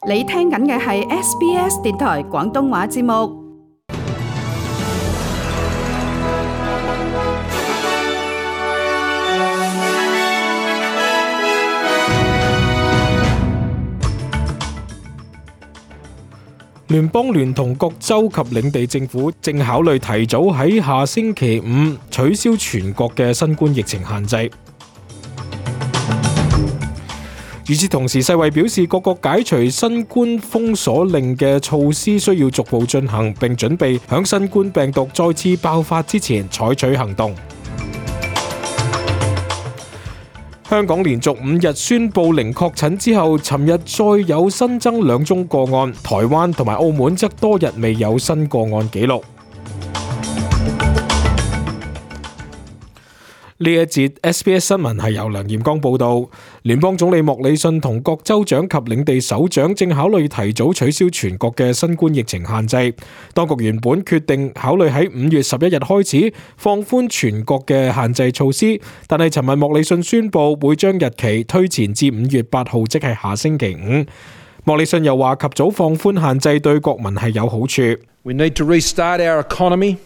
你聽緊嘅係 SBS 電台廣東話節目。聯邦聯同各州及領地政府正考慮提早喺下星期五取消全國嘅新冠疫情限制。與此同時，世衛表示各國解除新冠封鎖令嘅措施需要逐步進行，並準備響新冠病毒再次爆發之前採取行動。香港連續5日宣布零確診之後，尋日再有新增2宗個案，台灣同埋澳門則多日未有新個案記錄。呢一節 SBS 新聞係由梁彥剛報導。聯邦總理莫里遜同各州長及領地首長正考慮提早取消全國嘅新冠疫情限制。當局原本決定考慮喺5月11日開始放寬全國嘅限制措施，但係尋日莫里遜宣布會將日期推前至5月8號，即係下星期五。莫里遜又話及早放寬限制對國民係有好處。We need to restart our economy.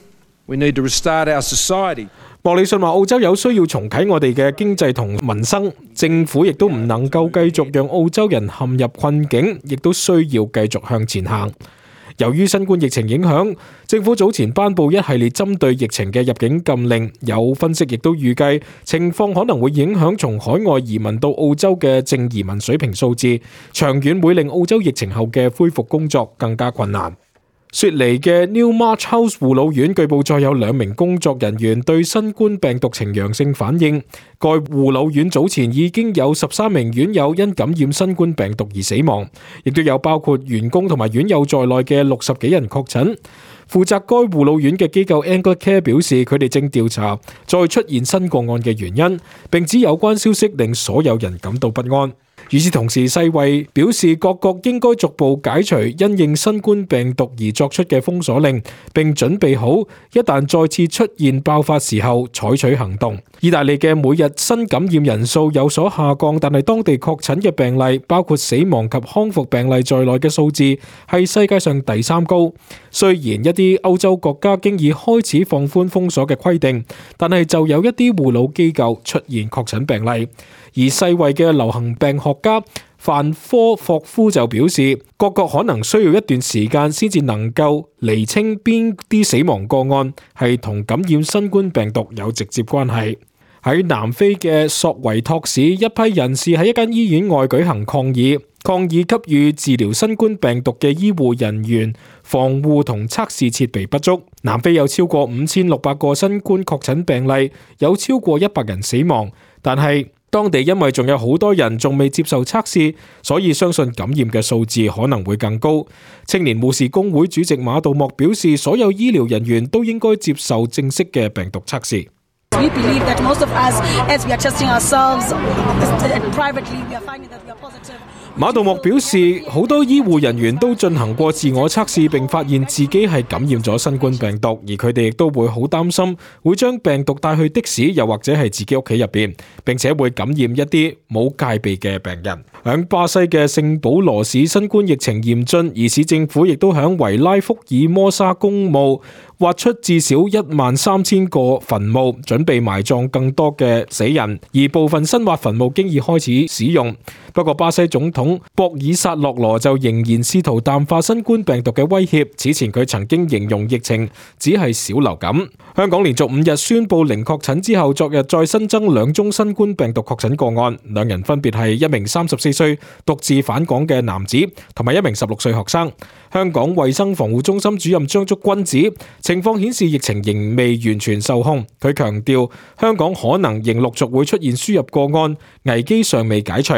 We need to restart our society. 莫里遜話澳洲有需要重啟我哋嘅經濟同民生，政府亦都唔能夠繼續讓澳洲人陷入困境，亦都需要繼續向前行。由於新冠疫情影響，政府早前頒布一系列針對疫情嘅入境禁令，有分析亦都預計情況可能會影響從海外移民到澳洲嘅淨移民水平數字，長遠會令澳洲疫情後嘅恢復工作更加困難。雪梨嘅 New March House 護老院據報再有2名工作人員對新冠病毒呈陽性反應。該護老院早前已經有13名院友因感染新冠病毒而死亡，亦都有包括員工同埋院友在內嘅60幾人確診。負責該護老院嘅機構 Anglicare 表示，佢哋正調查再出現新個案嘅原因，並指有關消息令所有人感到不安。與此同時，世衛表示各國應該逐步解除因應新冠病毒而作出嘅封鎖令，並準備好一旦再次出現爆發時候採取行動。意大利嘅每日新感染人數有所下降，但係當地確診嘅病例，包括死亡及康復病例在內嘅數字係世界上第3高。雖然一啲歐洲國家經已開始放寬封鎖嘅規定，但係就有一啲護老機構出現確診病例。而世衛嘅流行病學家范科霍夫就表示，各國可能需要一段時間先至能夠釐清邊啲死亡個案係同感染新冠病毒有直接關係。喺南非嘅索維托市，一批人士喺一間醫院外舉行抗議給予治療新冠病毒嘅醫護人員防護同測試設備不足。南非有超過5600個新冠確診病例，有超過100人死亡，但係當地因為仲有好多人仲未接受測試，所以相信感染嘅數字可能會更高。青年護士工會主席馬杜莫表示，所有醫療人員都應該接受正式嘅病毒測試。We believe that most of us, as we are testing ourselves privately, we are finding that we are positive. 馬杜莫表示，好多醫護人員都進行過自我測試，並發現自己係感染咗新冠病毒，而佢哋亦都會好擔心會將病毒帶去的士，又或者係自己屋企入邊，並且會感染一啲冇戒備嘅病人。響巴西嘅聖保羅市，新冠疫情嚴峻，而市政府亦都響維拉福爾摩沙公墓挖出至少13000個墳墓，準備埋葬更多嘅死人，而部分新挖墳墓經已開始使用。不過巴西總統博爾薩洛羅就仍然試圖淡化新冠病毒嘅威脅。此前佢曾經形容疫情只係小流感。香港連續5日宣布零確診之後，昨日再新增2宗新冠病毒確診個案，2人分別係一名34歲獨自返港嘅男子，同埋一名16歲學生。香港衛生防護中心主任張竹君指，情況顯示疫情仍未完全受控。佢強調，香港可能仍陸續會出現輸入個案，危機尚未解除。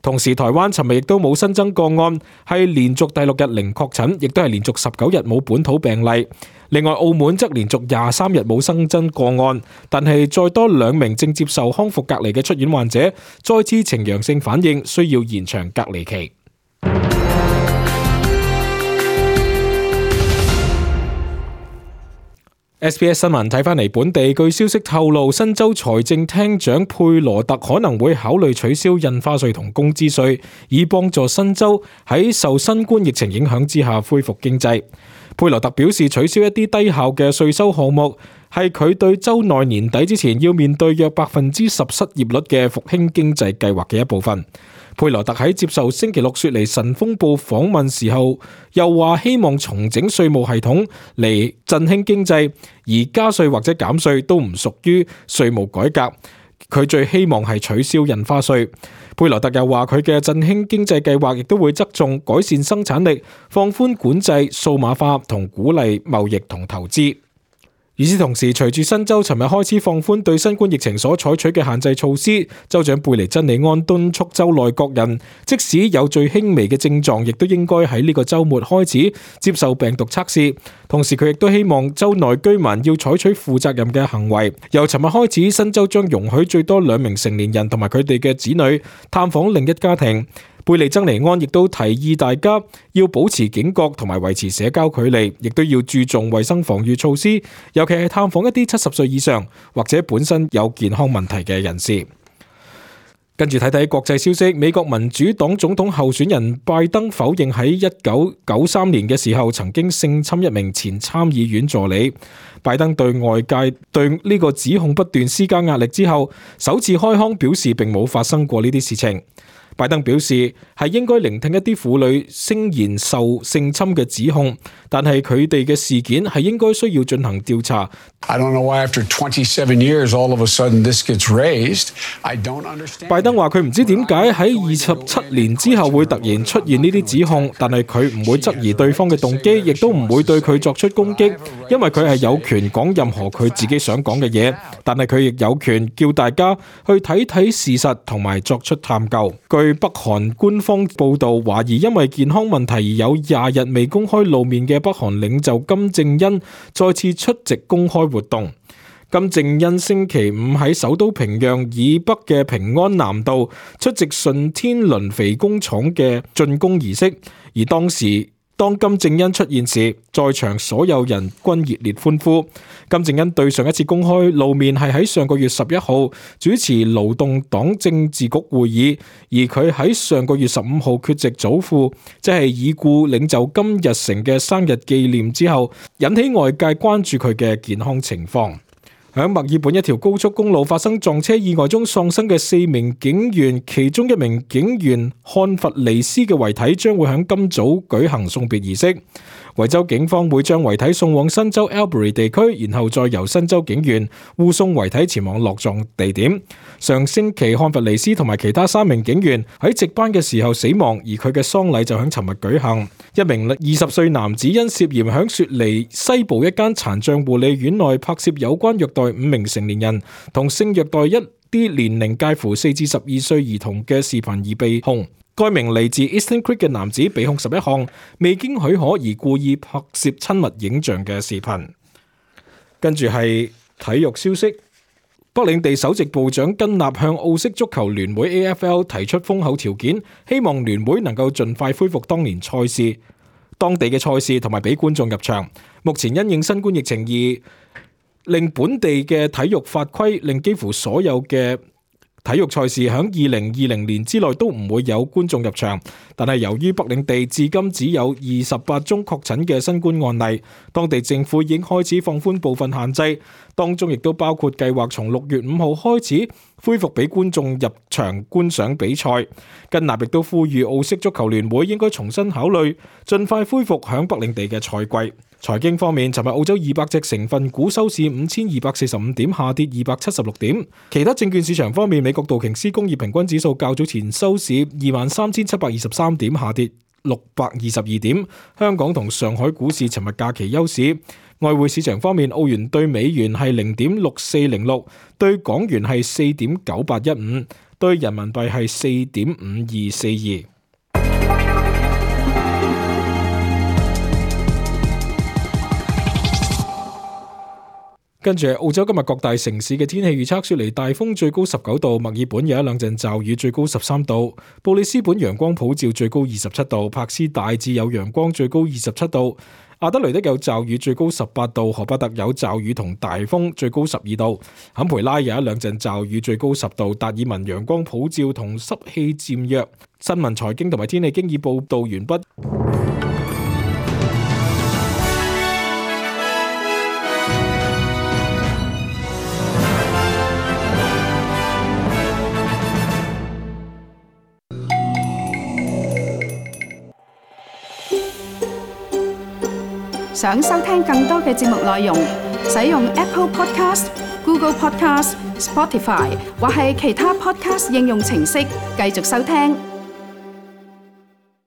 同時，台灣尋日亦都冇新增個案，係連續第6日零確診，亦都係連續19日冇本土病例。另外，澳門則連續23日冇新增個案，但係再多2名正接受康復隔離嘅出院患者再次呈陽性反應，需要延長隔離期。SBS 新聞睇返嚟本地，據消息透露，新州財政廳長佩羅特可能會考慮取消印花稅同工資稅，以幫助新州喺受新冠疫情影響之下恢復經濟。佩羅特表示，取消一啲低效嘅稅收項目係佢對州內年底之前要面對約10%失業率嘅復興經濟計劃嘅一部分。佩羅特喺接受星期六雪梨晨鋒報訪問時候，又話希望重整稅務系統嚟振興經濟，而加稅或者減稅都唔屬於稅務改革。佢最希望係取消印花稅。佩羅特又話佢嘅振興經濟計劃亦都會側重改善生產力、放寬管制、數碼化同鼓勵貿易同投資。與此同時，隨住新州尋日開始放寬對新冠疫情所採取嘅限制措施，州長貝尼珍利安敦促州內各人，即使有最輕微嘅症狀，亦都應該喺呢個週末開始接受病毒測試。同時，佢亦都希望州內居民要採取負責任嘅行為。由尋日開始，新州將容許最多2名成年人同埋佢哋嘅子女探訪另一家庭。貝利曾尼安亦都提議大家要保持警覺同埋維持社交距離，亦都要注重衛生防禦措施，尤其係探訪一啲70歲以上或者本身有健康問題嘅人士。跟住睇睇國際消息，美國民主黨總統候選人拜登否認喺1993年嘅時候曾經性侵一名前參議院助理。拜登對外界對呢個指控不斷施加壓力之後，首次開腔表示並冇發生過呢啲事情。拜登表示係應該聆聽一啲婦女聲言受性侵嘅指控，但係佢哋嘅事件係應該需要進行調查。I don't know why after 27 years all of a sudden this gets raised. I don't understand. 拜登話佢唔知點解喺27年之後會突然出現呢啲指控，但係佢唔會質疑對方嘅動機，亦都唔會對佢作出攻擊，因為佢係有權講任何佢自己想講嘅嘢，但係佢亦有權叫大家去睇睇事實同埋作出探究。據北韓官方報道，懷疑因為健康問題而有20日未公開露面嘅北韓領袖金正恩再次出席公開活動。金正恩星期五喺首都平壤以北嘅平安南道出席順天輪肥工廠嘅竣工儀式，而當金正恩出現時，在場所有人均熱烈歡呼。金正恩對上一次公開露面係喺上個月11號主持勞動黨政治局會議，而佢喺上個月15號缺席祖父即係已故領袖金日成嘅生日紀念之後，引起外界關注佢嘅健康情況。喺墨爾本一條高速公路發生撞車意外中喪生嘅4名警員，其中一名警員漢弗尼斯嘅遺體將會喺今早舉行送別儀式。維州警方會將遺體送往新州 Albury 地區，然後再由新州警員護送遺體前往落葬地點。上星期漢弗尼斯同埋其他3名警員喺值班嘅時候死亡，而佢嘅喪禮就喺尋日舉行。一名20歲男子因涉嫌喺雪梨西部一間殘障護理院內拍攝有關虐待5名成年人同性虐待一啲年齡介乎4至12歲兒童嘅視頻而被控。該名嚟自 Eastern Creek 嘅男子被控11項未經許可而故意拍攝親密影像嘅視頻。跟住係體育消息，北領地首席部長根納向澳式足球聯會 AFL 提出豐厚條件，希望聯會能夠盡快恢復當地嘅賽事同埋俾觀眾入場。目前因應新冠疫情而令本地嘅體育法規令幾乎所有嘅體育賽事喺2020年之內都唔會有觀眾入場，但係由於北領地至今只有28宗確診嘅新冠案例，當地政府已經開始放寬部分限制，當中亦都包括計劃從6月5號開始恢復俾觀眾入場觀賞比賽。根納亦都呼籲澳式足球聯會應該重新考慮，盡快恢復響北領地嘅賽季。財經方面，尋日澳洲200隻成分股收市5245點，下跌276點。其他證券市場方面，美國道瓊斯工業平均指數較早前收市23723點，下跌622點。香港同上海股市尋日假期休市。外匯市場方面，澳元對美元係0.6406，對港元係4.9815，對人民幣係4.5242。跟住澳洲今日各大城市嘅天氣預測：雪梨大風最高19度，墨爾本有一兩陣驟雨最高13度，布里斯本陽光普照最高27度，柏斯大致有陽光最高27度，阿德雷德有驟雨最高18度，荷巴特有驟雨同大風最高12度，坎培拉有一兩陣驟雨最高10度，達爾文陽光普照同濕氣漸弱。新聞財經同埋天氣經已報道完畢。想收聽更多嘅節目內容，使用 Apple Podcast、Google Podcast、Spotify 或係其他 Podcast 應用程式繼續收聽。